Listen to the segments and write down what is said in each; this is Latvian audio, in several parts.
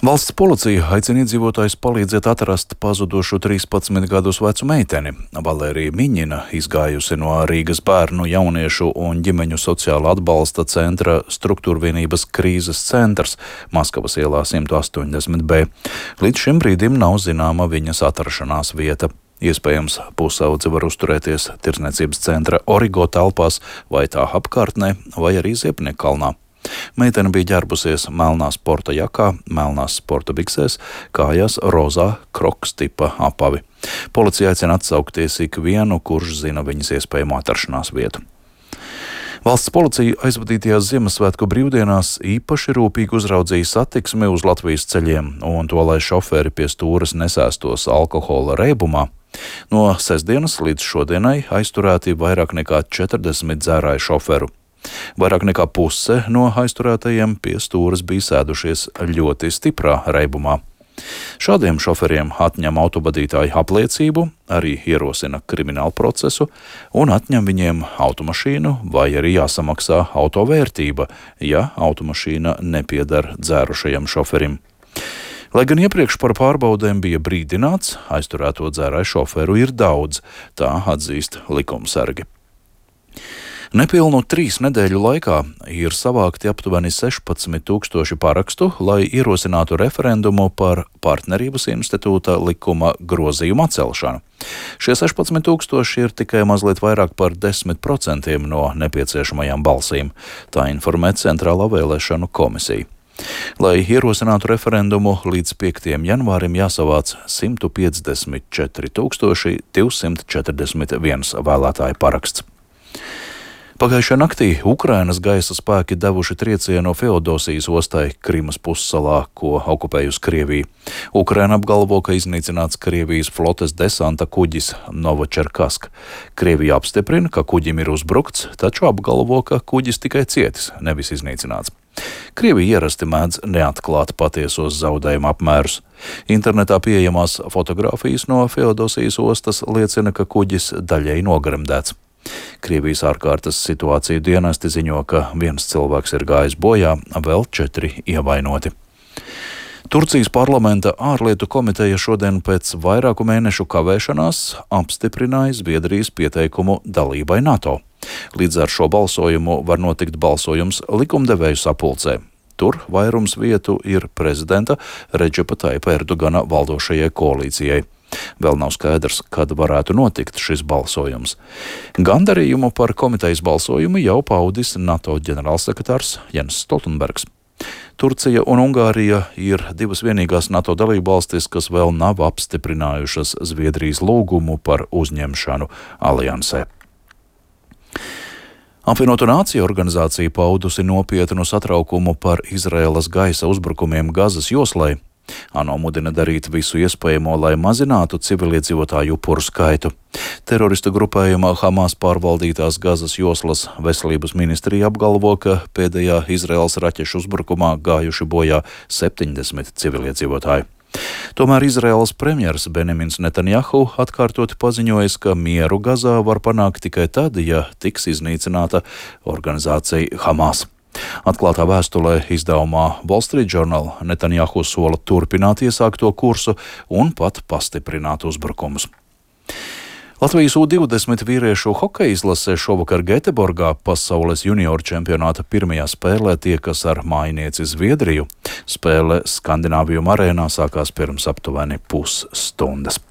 Valsts policija aicina iedzīvotājus palīdzēt atrast pazudušu 13 gadus vecu meiteni. Valērija Miņina, izgājusi no Rīgas bērnu, jauniešu un ģimeņu sociāla atbalsta centra struktūrvienības krīzes centrs Maskavas ielā 180B. Līdz šim brīdim nav zināma viņas atrašanās vieta. Iespējams, pusaudze var uzturēties tirdzniecības centra Origo telpās vai tā apkārtnē, vai arī Ziepniekalnā. Meitene bija ģērbusies melnā sporta jakā, melnās sporta biksēs, kājās rozā kroks tipa apavi. Policija aicina atsaukties ikvienu, kurš zina viņas iespējamo atrašanās vietu. Valsts policija aizvadītajās Ziemassvētku brīvdienās īpaši rūpīgi uzraudzīja satiksmi uz Latvijas ceļiem un to, lai šoferi pie stūres nesēstos alkohola reibumā. No sestdienas līdz šodienai aizturēti vairāk nekā 40 dzērāju šoferu. Vairāk nekā puse no aizturētajiem pie stūres bija sēdušies ļoti stiprā reibumā. Šādiem šoferiem atņem autovadītāju apliecību, arī ierosina kriminālu procesu un atņem viņiem automašīnu vai arī jāsamaksā auto vērtība, ja automašīna nepieder dzērušajam šoferim. Lai gan iepriekš par pārbaudēm bija brīdināts, aizturēto dzērāju šoferu ir daudz, tā atzīst likumsargi. Nepilnu 3 nedēļu laikā ir savākti aptuveni 16,000 parakstu, lai ierosinātu referendumu par partnerības institūta likuma grozījumu atcelšanu. Šie 16,000 ir tikai mazliet vairāk par 10% no nepieciešamajām balsīm, tā informē Centrālā vēlēšanu komisija. Lai ierosinātu referendumu, līdz 5. janvārim jāsavāc 154,241 vēlētāju paraksts. Pagājušajā naktī Ukrainas gaisa spēki devuši triecienu Feodosijas ostai Krimas pussalā, ko okupējusi Krievija. Ukraina apgalvo, ka iznīcināts Krievijas flotes desanta kuģis Novočerkask. Krievija apstiprina, ka kuģim ir uzbrukts, taču apgalvo, ka kuģis tikai cietis, nevis iznīcināts. Krievija ierasti mēdz neatklāt patiesos zaudējumu apmērus. Internetā pieejamās fotogrāfijas no Feodosijas ostas liecina, ka kuģis daļēji nogremdēts. Krievijas ārkārtas situāciju dienesti ziņo, ka 1 cilvēks ir gājis bojā, vēl 4 ievainoti. Turcijas parlamenta ārlietu komiteja šodien pēc vairāku mēnešu kavēšanās apstiprināja Zviedrijas pieteikumu dalībai NATO. Līdz ar šo balsojumu var notikt balsojums likumdevēju sapulcē. Tur vairums vietu ir prezidenta Redžepa Taipa Erdogana valdošajai koalīcijai. Vēl nav skaidrs, kad varētu notikt šis balsojums. Gandarījumu par komitejas balsojumu jau paudis NATO ģenerālsekretārs Jens Stoltenbergs. Turcija un Ungārija ir divas vienīgās NATO dalībvalstis, kas vēl nav apstiprinājušas Zviedrijas lūgumu par uzņemšanu aliansē. Apvienoto Nāciju organizācija paudusi nopietnu satraukumu par Izraēlas gaisa uzbrukumiem Gazas joslai. ANO mudina darīt visu iespējamo, lai mazinātu civiliedzīvotāju upuru skaitu. Teroristu grupējuma Hamas pārvaldītās Gazas joslas veselības ministrija apgalvo, ka pēdējā Izraēlas raķešu uzbrukumā gājuši bojā 70 civiliedzīvotāji. Tomēr Izraēlas premjers Benjamins Netanjahu atkārtoti paziņojis, ka mieru Gazā var panākt tikai tad, ja tiks iznīcināta organizācija Hamas. Atklātā vēstulē izdevumā Wall Street Journal Netanjahu sola turpināt iesākto kursu un pat pastiprināt uzbrukumus. Latvijas U20 vīriešu hokeja izlase šovakar Gēteborgā pasaules junioru čempionāta pirmajā spēlē tiekas ar mājinieci Zviedriju. Spēle Skandināvijuma arēnā sākās pirms aptuveni pusstundas.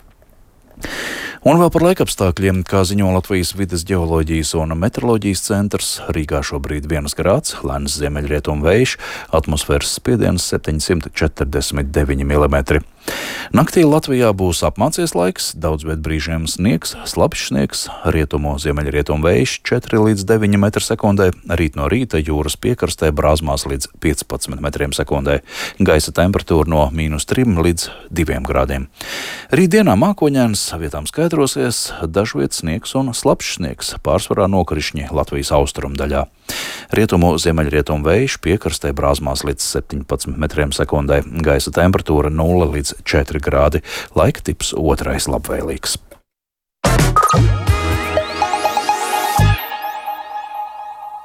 Un vēl par laikapstākļiem, kā ziņo Latvijas vides ģeoloģijas un meteoroloģijas centrs, Rīgā šobrīd 1 grāds, lēns ziemeļrietumu vējš, atmosfēras spiediens 749 mm. Naktī Latvijā būs apmācies laiks, daudz viet brīžiem sniegs, slapjš sniegs, rietumu ziemeļrietumu vējš 4 līdz 9 m/sekundē, rīt no rīta jūras piekrastē brāzmās līdz 15 m/sekundē, gaisa temperatūra no -3 līdz 2 grādiem. Rītdienā mākoņains, vietām skaidrosies, dažviet sniegs un slapjš sniegs, pārsvarā nokrišņi Latvijas austrumu daļā. Rietumu ziemeļrietumu vējš piekrastē brāzmās līdz 17 m/sekundē, gaisa temperatūra 0 līdz 4 grādi, laika tips otrais labvēlīgs.